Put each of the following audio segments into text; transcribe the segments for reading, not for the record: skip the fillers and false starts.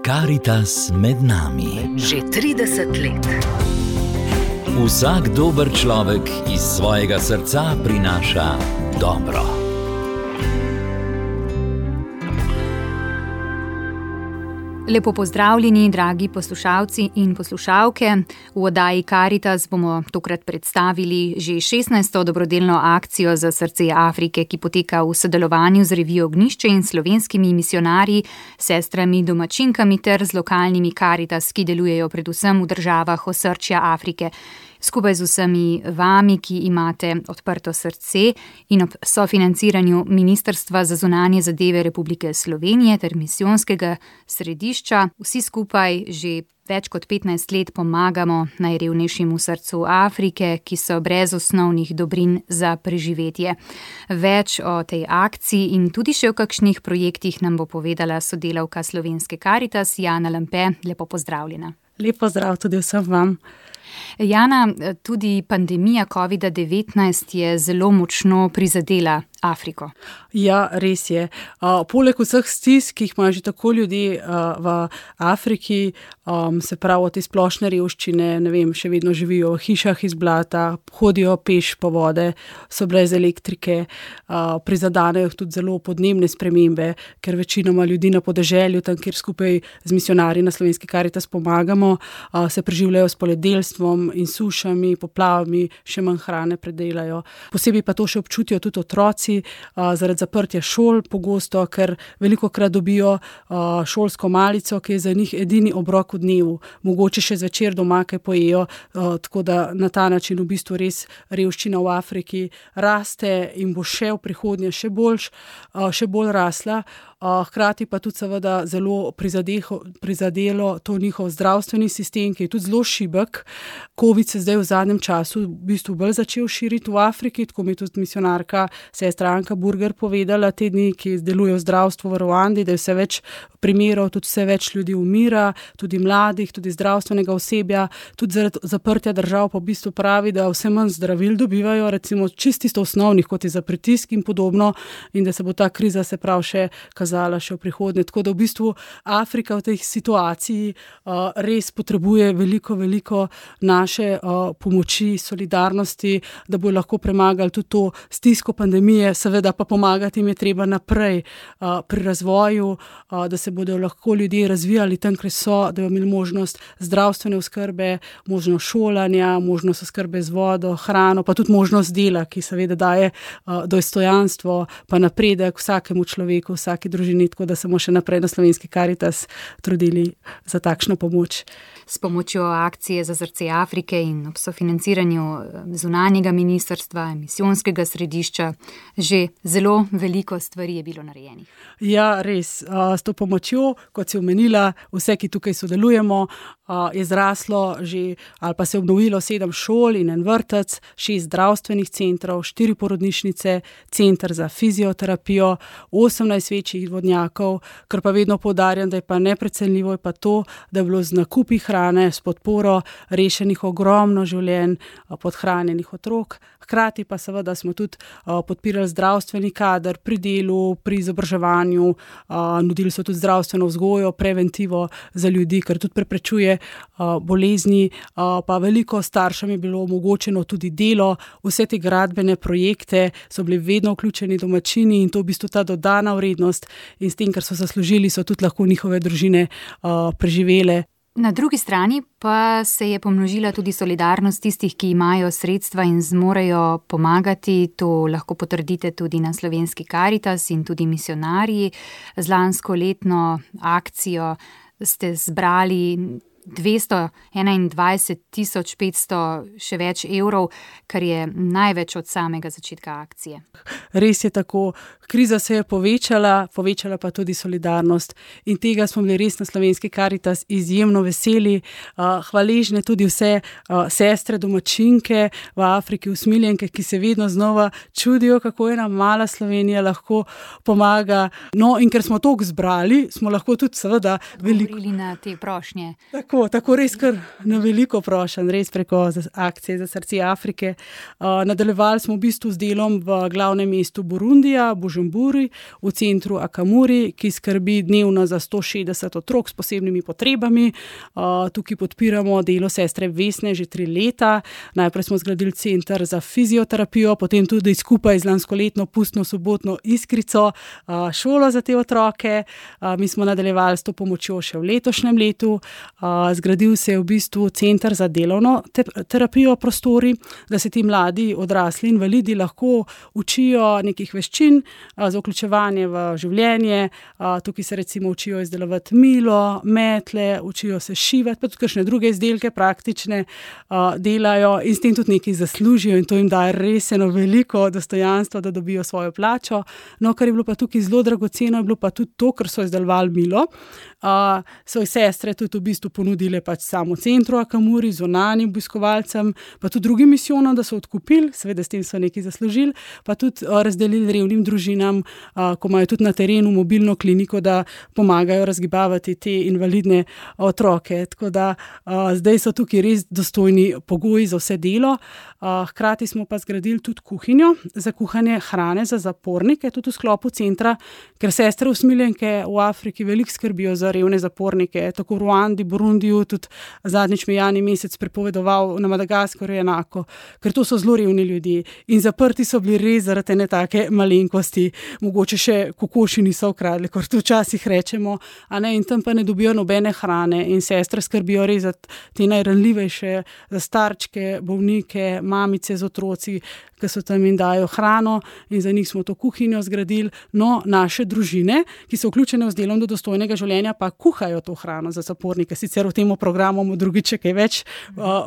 Karitas med nami. Že 30 let. Vsak dober človek iz svojega srca prinaša dobro. Lepo pozdravljeni, dragi poslušalci in poslušalke. V oddaji Karitas bomo tokrat predstavili že 16. dobrodelno akcijo za srce Afrike, ki poteka v sodelovanju z revijo Ognjišče in slovenskimi misionarji, sestrami domačinkami ter z lokalnimi Karitas, ki delujejo predvsem v državah osrčja Afrike. Skupaj z vsemi vami, ki imate odprto srce in ob sofinanciranju Ministrstva za zunanje zadeve Republike Slovenije ter misijonskega središča, vsi skupaj že več kot 15 let pomagamo najrevnejšim v srcu Afrike, ki so brez osnovnih dobrin za preživetje. Več o tej akciji in tudi še o kakšnih projektih nam bo povedala sodelavka slovenske Karitas, Jana Lampe. Lepo pozdravljena. Lep pozdrav tudi vsem vam. Jana, tudi pandemija COVID-19 je zelo močno prizadela Afriko. Ja, res je. Poleg vseh stisk, ki jih imajo že tako ljudje v Afriki, se pravi te splošne revščine, še vedno živijo v hišah iz blata, hodijo peš po vode, so brez elektrike, prizadanejo tudi zelo podnebne spremembe, ker večinoma ljudi na podeželju, tam kjer skupaj z misionarji na slovenski Karitas pomagamo, se preživljajo s poljedelstvom in sušami, poplavami, še manj hrane predelajo. Posebej pa to še občutijo tudi otroci, zaradi zaprtja šol pogosto, ker velikokrat dobijo šolsko malico, ki je za njih edini obrok v dnevu. Mogoče še zvečer doma kaj pojejo, tako da na ta način v bistvu res revščina v Afriki raste in bo še v prihodnje še bolj rasla. Hkrati pa tudi seveda zelo prizadelo to njihov zdravstveni sistem, ki je tudi zelo šibek. Covid se zdaj v zadnjem času v bistvu bolj začel širiti v Afriki, tako mi je tudi misionarka sestra Anka Burger povedala te dni, ki deluje v zdravstvu v Ruandi, da je vse več primerov, tudi vse več ljudi umira, tudi mladih, tudi zdravstvenega osebja, tudi zaradi zaprtja držav pa v bistvu pravi, da vse manj zdravil dobivajo, recimo čisto osnovnih, kot je za pritisk in podobno, in da se bo ta kriza se prav še kazala še v prihodnje. Tako da v bistvu Afrika v tej situaciji res potrebuje veliko naše pomoči, solidarnosti, da bo lahko premagali tudi to stisko pandemije, seveda pa pomagati jim je treba naprej pri razvoju, da se bodo lahko ljudje razvijali tam, kjer so, da bodo imeli možnost zdravstvene oskrbe, možnost šolanja, možnost oskrbe z vodo, hrano, pa tudi možnost dela, ki seveda daje dostojanstvo pa napredek vsakemu človeku, vsaki družini, tako da se bomo še naprej na slovenski Karitas trudili za takšno pomoč. S pomočjo akcije za srce Afrike in ob sofinanciranju zunanjega ministrstva, misijonskega središča, že zelo veliko stvari je bilo narejenih. Ja, res. S to pomočjo, kot si omenila, vse, ki tukaj sodelujemo, je zraslo že, ali pa se obnovilo 7 šol in 1 vrtec, 6 zdravstvenih centrov, 4 porodnišnice, center za fizioterapijo, 18 večjih vodnjakov, kar pa vedno poudarjam, da je pa neprecenljivo, je pa to, da je bilo z nakupi hrane, s podporo rešenih ogromno življenj podhranjenih otrok. Hkrati pa seveda smo tudi podpirali zdravstveni kader pri delu, pri izobraževanju, nudili so tudi zdravstveno vzgojo, preventivo za ljudi, ker tudi preprečuje bolezni, pa veliko staršem je bilo omogočeno tudi delo, vse te gradbene projekte so bili vedno vključeni domačini in to v bistvu ta dodana vrednost in s tem, ker so zaslužili, so tudi lahko njihove družine preživele. Na drugi strani pa se je pomnožila tudi solidarnost tistih, ki imajo sredstva in zmorejo pomagati. To lahko potrdite tudi na slovenski Karitas in tudi misionarji. Z lansko letno akcijo ste zbrali 221.500 še več evrov, kar je največ od samega začetka akcije. Res je tako. Kriza se je povečala pa tudi solidarnost. In tega smo bili res na slovenski Karitas izjemno veseli. Hvaležne tudi vse sestre domačinke v Afriki, usmiljenke, ki se vedno znova čudijo, kako ena mala Slovenija lahko pomaga. No, in ker smo toliko zbrali, smo lahko tudi seveda veliko govorili na te prošnje. Tako res kar na veliko prošen, res preko akcije za srce Afrike. Nadaljevali smo v bistvu z delom v glavnem mestu Burundija, Bujumburi, v centru Akamuri, ki skrbi dnevno za 160 otrok s posebnimi potrebami. Tukaj podpiramo delo sestre Vesne že 3 leta. Najprej smo zgradili center za fizioterapijo, potem tudi skupaj z lanskoletno pustno sobotno Iskrico šolo za te otroke. Mi smo nadaljevali s to pomočjo še v letošnjem letu. Zgradil se je v bistvu center za delovno terapijo prostori, da se ti mladi odrasli invalidi lahko učijo nekih veščin za vključevanje v življenje. Tukaj se recimo učijo izdelovati milo, metle, učijo se šivati, pa tudi kakšne druge izdelke praktične delajo in s tem tudi nekaj zaslužijo in to jim daje res eno veliko dostojanstvo, da dobijo svojo plačo. No, kar je bilo pa tukaj zelo dragoceno, je bilo pa tudi to, ker so izdelovali milo. Svoje sestre tudi v bistvu ponudile pač samo centru Akamuri, zunanjim obiskovalcem, pa tudi drugim misijonom, da so odkupili, seveda s tem so nekaj zaslužili, pa tudi razdelili revnim družinam, ko imajo tudi na terenu mobilno kliniko, da pomagajo razgibavati te invalidne otroke. Tako da zdaj so tukaj res dostojni pogoji za vse delo. Hkrati smo pa zgradili tudi kuhinjo za kuhanje hrane za zapornike, tudi v sklopu centra, ker sestre usmiljenke v Afriki veliko skrbijo za revne zapornike, tako v Ruandi, Burundiju, tudi zadnjič me Jani Mesec prepovedoval na Madagaskarju enako, ker to so zelo revni ljudje in zaprti so bili res zaradi ene take malenkosti, mogoče še kokoši niso ukradli, kot to včasih rečemo, in tam pa ne dobijo nobene hrane in sestre skrbijo res za te najranljivejše, za starčke, bolnike, mamice z otroci, ki so tam in dajo hrano in za njih smo to kuhinjo zgradili. No, naše družine, ki so vključene z delom do dostojnega življenja, pa kuhajo to hrano za zapornike. Sicer v tem programu bomo drugič kaj več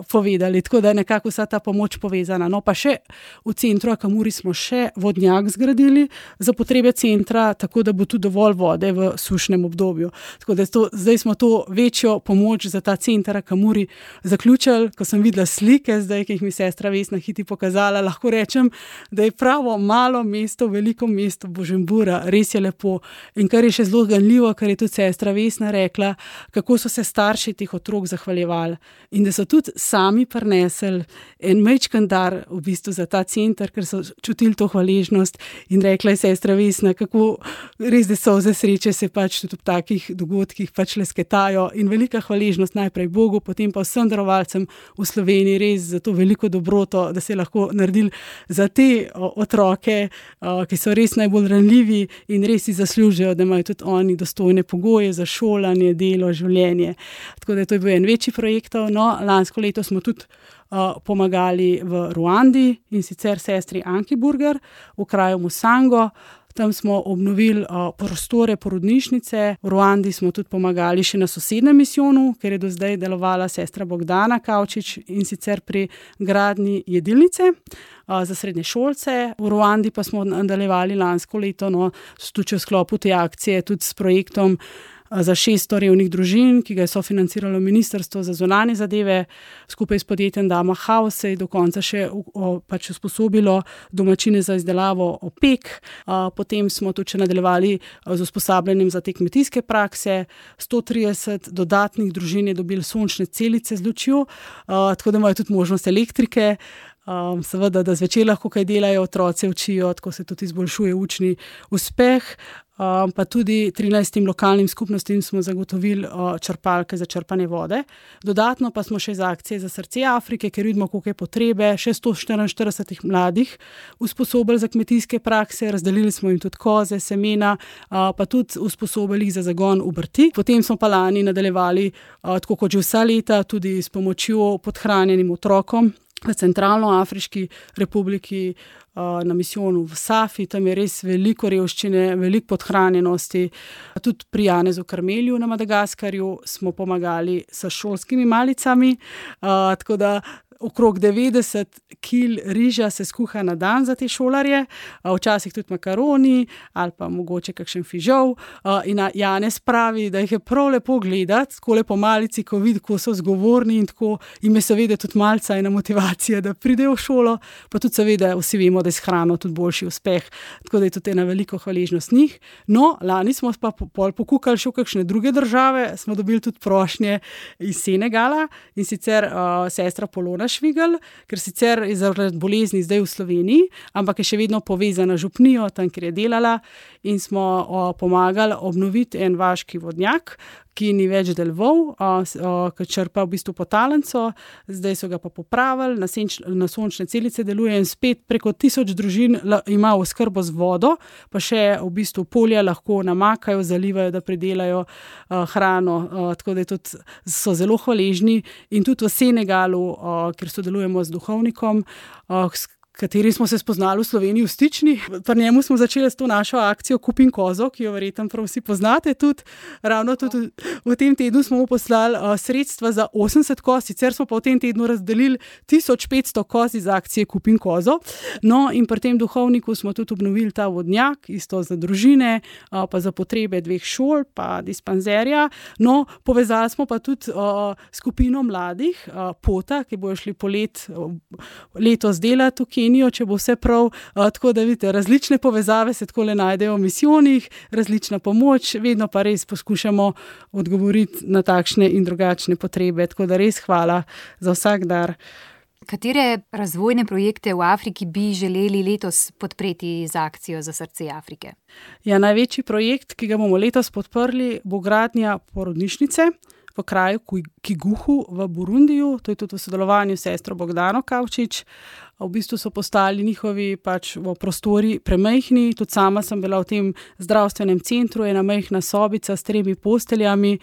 povedali, tako da je nekako vsa ta pomoč povezana. No, pa še v centru Akamuri smo še vodnjak zgradili za potrebe centra, tako da bo tudi dovolj vode v sušnem obdobju. Tako da zdaj smo to večjo pomoč za ta center Akamuri zaključili. Ko sem videla slike zdaj, ki jih mi sestra Vesna Hiti pokazala, lahko rečem, da je pravo malo mesto, veliko mesto Bujumbura, res je lepo. In kar je še zelo ganljivo, kar je tudi sestra Vesna rekla, kako so se starši teh otrok zahvaljevali in da so tudi sami prinesli en majčken dar v bistvu za ta center, ker so čutili to hvaležnost in rekla je sestra Vesna, kako res, da solze sreče se pač tudi v takih dogodkih pač lesketajo in velika hvaležnost najprej Bogu, potem pa vsem darovalcem v Sloveniji res za to veliko dobroto, da se je lahko naredili za te otroke, ki so res najbolj ranljivi in res si zaslužijo, da imajo tudi oni dostojne pogoje za šolanje, delo, življenje. Tako da to je bil en večji projekt. No, lansko leto smo tudi pomagali v Ruandi in sicer sestri Anki Burger v kraju Musango. Tam smo obnovili prostore porodnišnice. V Ruandi smo tudi pomagali še na sosednjem misijonu, ker je do zdaj delovala sestra Bogdana Kavčič in sicer pri gradnji jedilnice za srednješolce. V Ruandi pa smo nadaljevali lansko leto, tudi v sklopu te akcije, tudi s projektom za 600 revnih družin, ki ga je sofinanciralo Ministrstvo za zunanje zadeve, skupaj s podjetjem Dama House se je do konca še pač usposobilo domačine za izdelavo opek. Potem smo tudi še nadaljevali z usposabljanjem za te kmetijske prakse. 130 dodatnih družin je dobilo sončne celice z lučjo, tako da imajo tudi možnost elektrike. Seveda, da zvečer lahko kaj delajo, otroci učijo, tako se tudi izboljšuje učni uspeh. Pa tudi 13 lokalnim skupnostim smo zagotovili črpalke za črpanje vode. Dodatno pa smo še za akcije za srce Afrike, ker vidimo, koliko je potrebe, še 144 mladih usposobili za kmetijske prakse, razdelili smo jim tudi koze, semena, pa tudi usposobili jih za zagon obrti. Potem smo pa lani nadaljevali, tako kot že vsa leta, tudi s pomočjo podhranjenim otrokom v Centralnoafriški republiki, na misijonu v Safi, tam je res veliko revščine, veliko podhranjenosti. Tudi pri Janezu Karmelju na Madagaskarju smo pomagali s šolskimi malicami, tako da okrog 90 kil riža se skuha na dan za te šolarje, včasih tudi makaroni ali pa mogoče kakšen fižol. In Janez pravi, da jih je prav lepo gledati, tako lepo malici, ko vidi, ko so zgovorni in tako jim je seveda tudi malca ena motivacija, da pridejo v šolo, pa tudi seveda vsi vemo, da je s hrano tudi boljši uspeh. Tako da je tudi ena veliko hvaležnost njih. No, lani smo pa pokukali še v kakšne druge države, smo dobili tudi prošnje iz Senegala in sicer sestra Polona Švigelj, ker sicer je zaradi bolezni zdaj v Sloveniji, ampak je še vedno povezana z župnijo, tam, kjer je delala, in smo pomagali obnoviti en vaški vodnjak, ki ni več deloval, ki črpa v bistvu podtalnico, zdaj so ga pa popravili, na sončne celice deluje in spet preko 1000 družin ima oskrbo z vodo, pa še v bistvu polja lahko namakajo, zalivajo, da pridelajo hrano, tako da so zelo hvaležni in tudi v Senegalu, kjer sodelujemo z duhovnikom, kateri smo se spoznali v Sloveniji v Stični. Pri njemu smo začeli s to našo akcijo Kupim kozo, ki jo verjetno prav vsi poznate tudi. Ravno tudi v tem tednu smo mu poslali sredstva za 80 koz, sicer smo pa v tem tednu razdelili 1500 koz iz akcije Kupim kozo. No, in pri tem duhovniku smo tudi obnovili ta vodnjak, isto za družine, pa za potrebe 2 šol, pa dispanzerja. No, povezali smo pa tudi skupino mladih, Pota, ki bojo šli letos delati v Kenijo, če bo vse prav, tako da vidite, različne povezave se takole najdejo v misijonih, različna pomoč, vedno pa res poskušamo odgovoriti na takšne in drugačne potrebe, tako da res hvala za vsak dar. Katere razvojne projekte v Afriki bi želeli letos podpreti z akcijo za srce Afrike? Ja, največji projekt, ki ga bomo letos podprli, bo gradnja porodnišnice v kraju Kiguhu v Burundiju, to je tudi v sodelovanju s sestro Bogdano Kavčič. V bistvu so postali njihovi prostori premajhni, tudi sama sem bila v tem zdravstvenem centru, ena majhna sobica s 3 posteljami.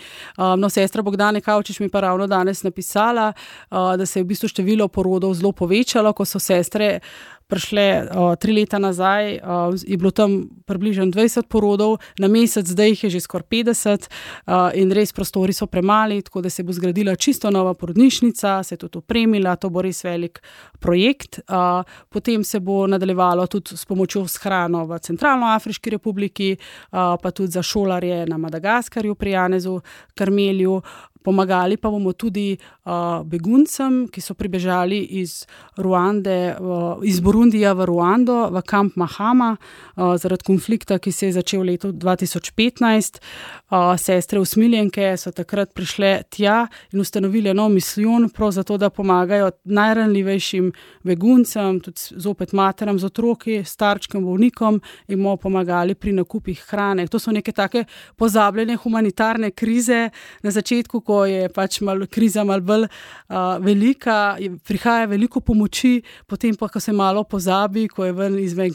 No, sestra Bogdane Kavčič mi pa ravno danes napisala, da se je v bistvu število porodov zelo povečalo, ko so sestre prišle 3 leta nazaj, je bilo tam približno 20 porodov, na mesec zdaj jih je že skoraj 50 in res prostori so premali, tako da se bo zgradila čisto nova porodnišnica, se je tudi opremila, to bo res velik projekt. Potem se bo nadaljevalo tudi s pomočjo s hrano v Centralnoafriški republiki, pa tudi za šolarje na Madagaskarju pri Janezu Karmelju. Pomagali pa bomo tudi beguncem, ki so pribežali iz Burundija v Ruando, v kamp Mahama, zaradi konflikta, ki se je začel leta 2015. Sestre usmiljenke so takrat prišle tja in ustanovile nov misijon, prav zato, da pomagajo najranljivejšim beguncem, tudi zopet materam z otroki, starčkim, bolnikom, in bomo pomagali pri nakupih hrane. To so neke take pozabljene humanitarne krize na začetku, ko je pač kriza malo bolj velika, prihaja veliko pomoči, potem pa, ko se malo pozabi, ko je ven izven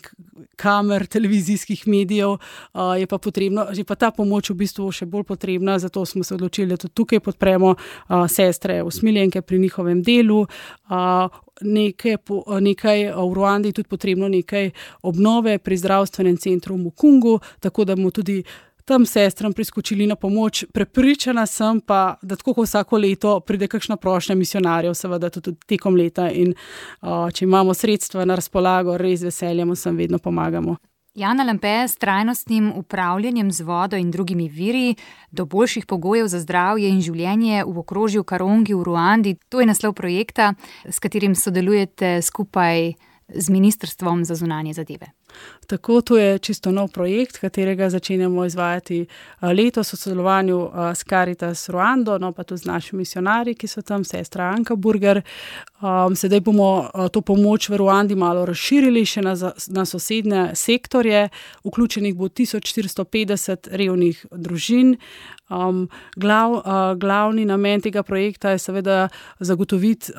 kamer, televizijskih medijev, je pa potrebno, že pa ta pomoč v bistvu še bolj potrebna, zato smo se odločili, da tudi tukaj podpremo sestre usmiljenke pri njihovem delu. Nekaj v Ruandi tudi potrebno nekaj obnove pri zdravstvenem centru v Mukungu, tako da bomo tudi tam sestram priskočili na pomoč. Prepričana sem pa, da tako kot vsako leto pride kakšna prošnja misionarjev, seveda tudi tekom leta, in če imamo sredstva na razpolago, res veseljem vsem vedno pomagamo. Jana Lampe, s trajnostnim upravljanjem z vodo in drugimi viri do boljših pogojev za zdravje in življenje v okrožju Karongi v Ruandi, to je naslov projekta, s katerim sodelujete skupaj z Ministrstvom za zunanje zadeve. Tako, to je čisto nov projekt, katerega začenjamo izvajati letos v sodelovanju s Caritas Ruando, no pa tudi z našimi misionarji, ki so tam, sestra Anka Burger. Sedaj bomo to pomoč v Ruandi malo razširili še na sosednje sektorje. Vključenih bo 1450 revnih družin. Glavni namen tega projekta je seveda zagotoviti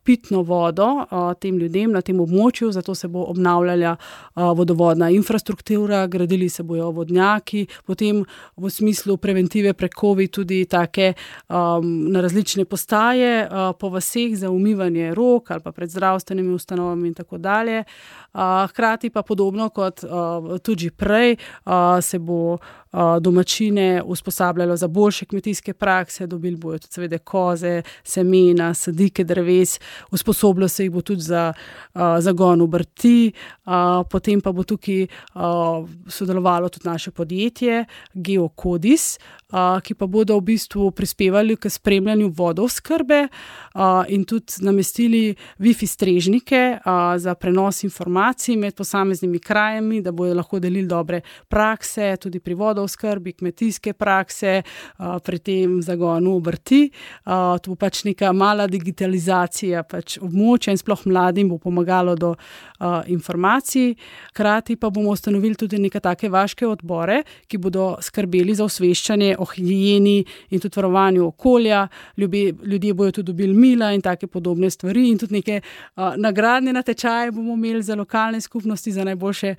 pitno vodo tem ljudem na tem območju, zato se bo obnavljala vodovodna infrastruktura, gradili se bojo vodnjaki, potem v smislu preventive pred COVID tudi take na različne postaje po vaseh za umivanje rok ali pa pred zdravstvenimi ustanovami in tako dalje. Hkrati pa podobno kot tudi prej se bo domačine usposabljalo za boljše kmetijske prakse, dobili bojo tudi seveda koze, semena, sadike dreves, usposobilo se jih bo tudi za zagon obrti, potem pa bo tukaj sodelovalo tudi naše podjetje Geokodis, ki pa bodo v bistvu prispevali k spremljanju vodooskrbe in tudi namestili Wi-Fi strežnike za prenos informacij med posameznimi krajami, da bodo lahko delili dobre prakse, tudi pri vodooskrbi, kmetijske prakse, pri tem zagonu obrti. To bo pač neka mala digitalizacija pač območja in sploh mladim bo pomagalo do informacij. Hkrati pa bomo ustanovili tudi neke take vaške odbore, ki bodo skrbeli za osveščanje o higieni in tudi varovanju okolja. Ljudje bojo tudi dobili mila in take podobne stvari in tudi neke nagradne natečaje bomo imeli za lokalne skupnosti za najboljše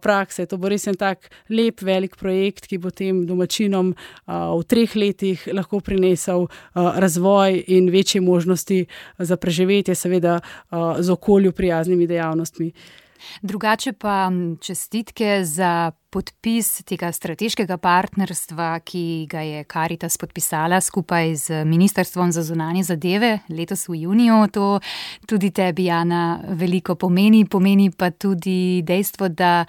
prakse. To bo res en tak lep, velik projekt, ki bo tem domačinom v 3 letih lahko prinesel razvoj in večje možnosti za preživetje, seveda z okolju prijaznimi dejavnostmi. Drugače pa čestitke za podpis tega strateškega partnerstva, ki ga je Karitas podpisala skupaj z Ministrstvom za zunanje zadeve letos v juniju. To tudi tebi, Jana, veliko pomeni. Pomeni pa tudi dejstvo, da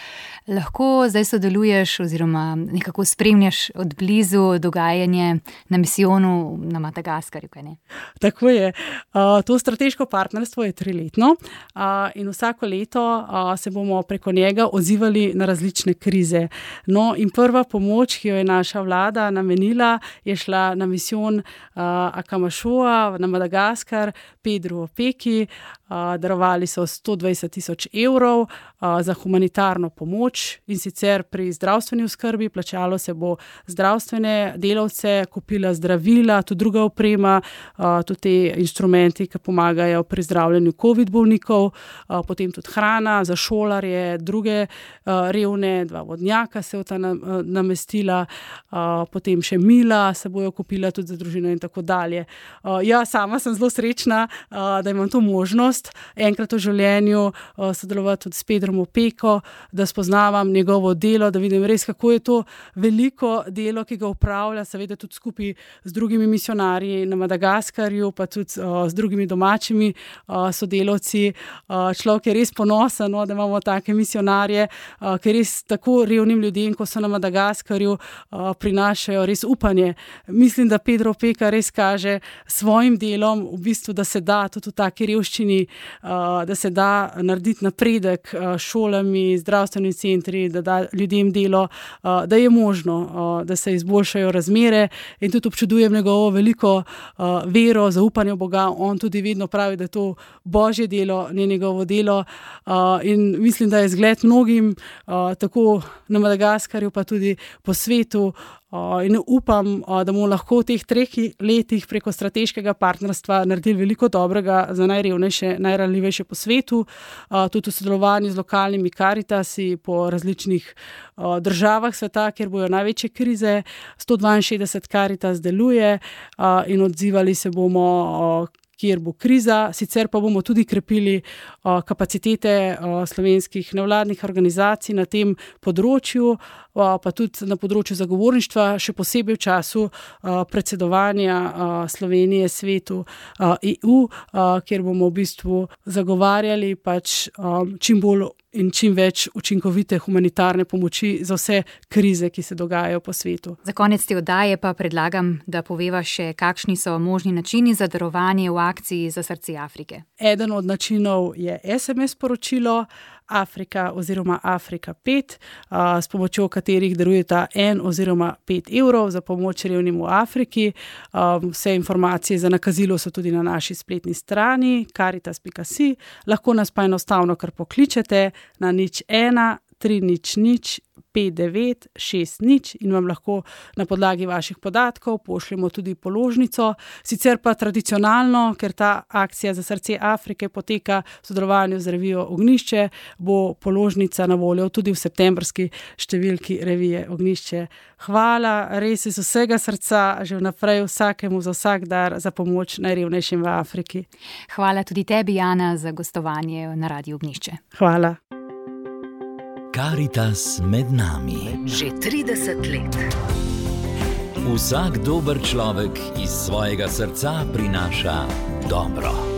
lahko zdaj sodeluješ oziroma nekako spremljaš od blizu dogajanje na misijonu na Madagaskarju, kaj ne? Tako je. To strateško partnerstvo je 3-letno in vsako leto se bomo preko njega odzivali na različne krize. No, in prva pomoč, ki jo je naša vlada namenila, je šla na misijon Akamashoa na Madagaskar, Pedru Opeki. Darovali so 120,000 evrov za humanitarno pomoč in sicer pri zdravstveni oskrbi. Plačalo se bo zdravstvene delavce, kupila zdravila, tudi druga oprema, tudi te instrumenti, ki pomagajo pri zdravljenju COVID bolnikov, potem tudi hrana za šolarje, druge revne, 2 vodnjaka se bo ta namestila, potem še mila se bojo kupila tudi za družino in tako dalje. Ja, sama sem zelo srečna, da imam to možnost enkrat v življenju sodelovati tudi s Pedrom Opeko, da spoznavam njegovo delo, da vidim res, kako je to veliko delo, ki ga upravlja, seveda tudi skupaj z drugimi misionarji na Madagaskarju, pa tudi z drugimi domačimi sodelavci. Človek je res ponosen, da imamo take misionarje, ki res tako revnim ljudem, ko so na Madagaskarju, prinašajo res upanje. Mislim, da Pedro Opeka res kaže svojim delom, v bistvu, da se da tudi v taki revščini, da se da narediti napredek šolami, zdravstvenimi centri, da da ljudem delo, da je možno, da se izboljšajo razmere in tudi občudujem njegovo veliko vero, zaupanje v Boga. On tudi vedno pravi, da je to Božje delo, ne njegovo delo in mislim, da je zgled mnogim, tako na Madagaskarju, pa tudi po svetu. In upam, da bomo lahko v teh 3 letih preko strateškega partnerstva naredili veliko dobrega za najrevnejše, najranljivejše po svetu, tudi v sodelovanju z lokalnimi Karitasi po različnih državah sveta, kjer bojo največje krize. 162 Karitas deluje in odzivali se bomo, kjer bo kriza, sicer pa bomo tudi krepili kapacitete slovenskih nevladnih organizacij na tem področju, pa tudi na področju zagovorništva, še posebej v času predsedovanja Slovenije svetu EU, kjer bomo v bistvu zagovarjali pač čim bolj in čim več učinkovite humanitarne pomoči za vse krize, ki se dogajajo po svetu. Za konec te oddaje pa predlagam, da poveva še, kakšni so možni načini za darovanje v akciji za srce Afrike. Eden od načinov je SMS sporočilo Afrika oziroma Afrika 5, s pomočjo katerih darujeta 1 oziroma 5 evrov za pomoč revnim v Afriki. Vse informacije za nakazilo so tudi na naši spletni strani caritas.si. Lahko nas pa enostavno kar pokličete na 01 300 5960 in vam lahko na podlagi vaših podatkov pošljemo tudi položnico. Sicer pa tradicionalno, ker ta akcija za srce Afrike poteka v sodelovanju z revijo Ognjišče, bo položnica na voljo tudi v septembrski številki revije Ognjišče. Hvala res iz vsega srca že vnaprej vsakemu za vsak dar za pomoč najrevnejšim v Afriki. Hvala tudi tebi, Jana, za gostovanje na Radiu Ognjišče. Hvala. Karitas med nami. Že 30 let. Vsak dober človek iz svojega srca prinaša dobro.